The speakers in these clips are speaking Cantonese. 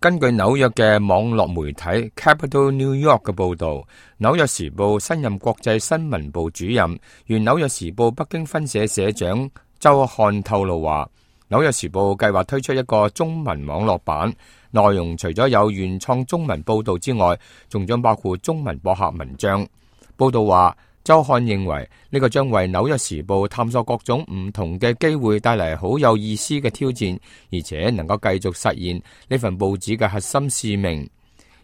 根據紐約嘅網絡媒體 Capital New York 嘅報道，紐約時報新任國際新聞部主任、原紐約時報北京分社社長周漢透露話，紐約時報計劃推出一個中文網絡版，內容除咗有原創中文報道之外，仲將包括中文博客文章。報道話，周漢認為呢個將為紐約時報探索各種唔同嘅機會帶嚟好有意思嘅挑戰，而且能夠繼續實現呢份報紙嘅核心使命。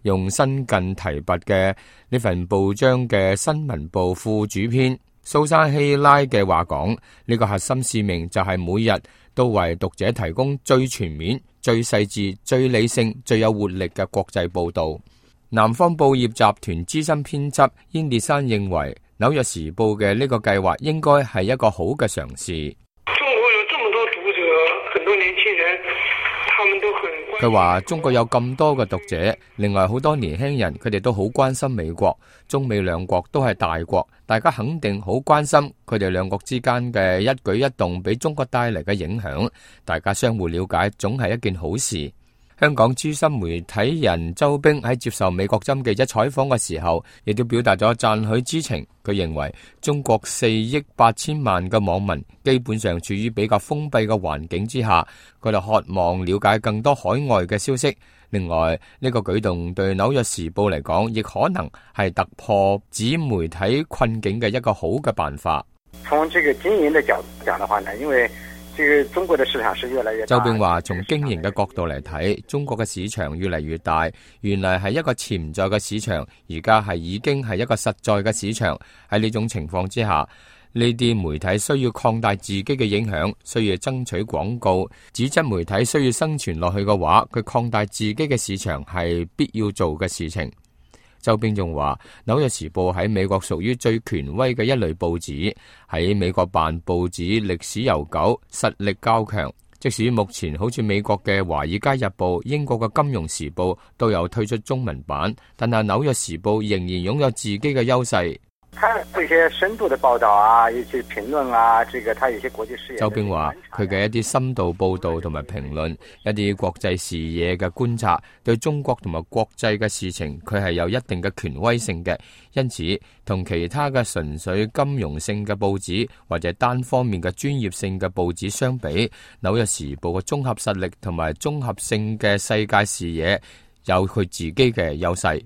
用新近提拔嘅呢份報章嘅新聞部副主編蘇珊希拉嘅話講，呢個核心使命就係每日都為讀者提供最全面、最細緻、最理性、最有活力嘅國際報道。南方報業集團資深編輯燕烈山認為，紐約時報嘅呢個計劃應該係一個好嘅嘗試。中國有這麼多讀者，很多年輕人，他們都很關心。佢話中國有咁多嘅讀者，另外好多年輕人佢哋都好關心美國，中美兩國都係大國，大家肯定好關心佢哋兩國之間嘅一舉一動俾中國帶嚟嘅影響，大家相互了解總係一件好事。香港資深媒體人周冰喺接受美國針記者採訪嘅時候，亦都表達咗讚許之情。佢認為中國4億8千萬嘅網民基本上處於比較封閉嘅環境之下，佢哋渴望了解更多海外嘅消息。另外，呢個舉動對紐約時報嚟講，亦可能係突破紙媒體困境嘅一個好嘅辦法。從這個經營的角度講的話呢，因為這個中國的市場是越來越大。周冰話，從經營嘅角度嚟睇，中國嘅市場越嚟越大，原來係一個潛在嘅市場，而家已經係一個實在嘅市場。喺呢種情況之下，呢啲媒體需要擴大自己嘅影響，需要爭取廣告。紙質媒體需要生存落去嘅話，佢擴大自己嘅市場係必要做嘅事情。周冰仲話，紐約時報喺美國屬於最權威嘅一類報紙，喺美國辦報紙歷史悠久，實力較強。即使目前好似美國嘅華爾街日報、英國嘅金融時報都有推出中文版，但係紐約時報仍然擁有自己嘅優勢。他有些深度的報道啊，一些評論啊，這個他有些國際視野。周冰話，佢嘅一啲深度報道同埋評論，一啲國際視野嘅觀察，對中國同埋國際嘅事情，佢係有一定嘅權威性嘅。因此，同其他嘅純粹金融性嘅報紙或者單方面嘅專業性嘅報紙相比，紐約時報嘅綜合實力同埋綜合性嘅世界視野，有佢自己嘅優勢。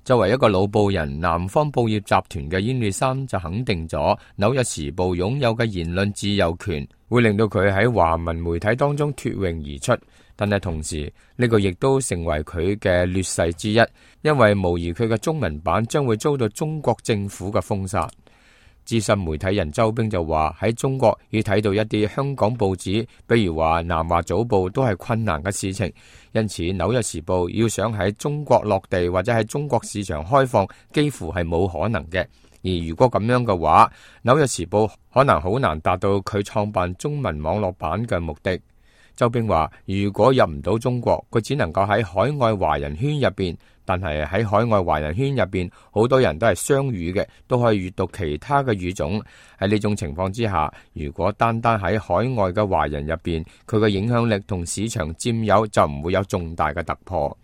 作為一個老報人，南方報業集團嘅燕烈山就肯定咗紐約時報擁有嘅言論自由權，會令到佢喺華文媒體當中脫穎而出。但係同時，呢個亦都成為佢嘅劣勢之一，因為無疑佢嘅中文版將會遭到中國政府嘅封殺。資深媒體人周冰就話，喺中國要睇到一啲香港報紙，比如話南華早報都係困難嘅事情，因此紐約時報要想喺中國落地或者喺中國市場開放，幾乎係冇可能嘅。而如果咁樣嘅話，紐約時報可能好難達到佢創辦中文網絡版嘅目的。周冰話，如果入唔到中國，佢只能夠喺海外華人圈入邊，但係喺海外華人圈入邊，好多人都係雙語嘅，都可以閱讀其他嘅語種。喺呢種情況之下，如果單單喺海外嘅華人入邊，佢嘅影響力同市場佔有就唔會有重大嘅突破。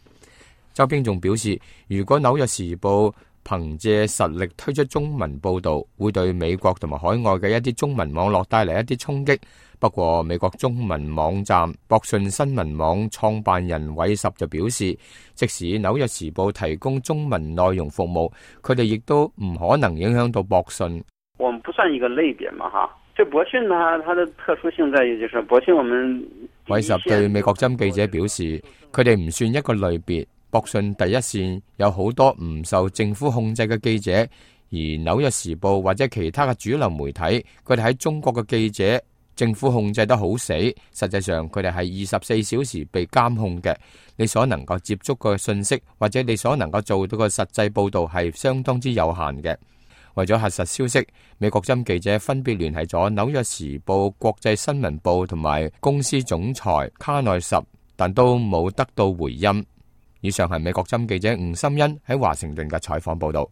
周冰仲表示，如果紐約時報憑借實力推出中文報道，會對美國同埋海外嘅一啲中文網絡帶嚟一啲衝擊。不過美國中文網站博訊新聞網創辦人韋什就表示，即使紐約時報提供中文內容服務，佢哋亦都唔可能影響到博訊。我們不算一個類別嘛，哈。這博訊呢，它的特殊性在於，就是博訊我們。韋什對美國針記者表示，佢哋唔算一個類別。博訊第一線有好多唔受政府控制嘅記者，而紐約時報或者其他嘅主流媒體，佢哋喺中國嘅記者，政府控制得好死，實際上佢哋係24小時被監控嘅。你所能夠接觸嘅信息，或者你所能夠做到嘅實際報導係相當之有限嘅。為咗核實消息，美國針記者分別聯繫咗紐約時報國際新聞部同埋公司總裁卡內什，但都冇得到回音。以上係美國針記者吳心欣喺華盛頓嘅採訪報導。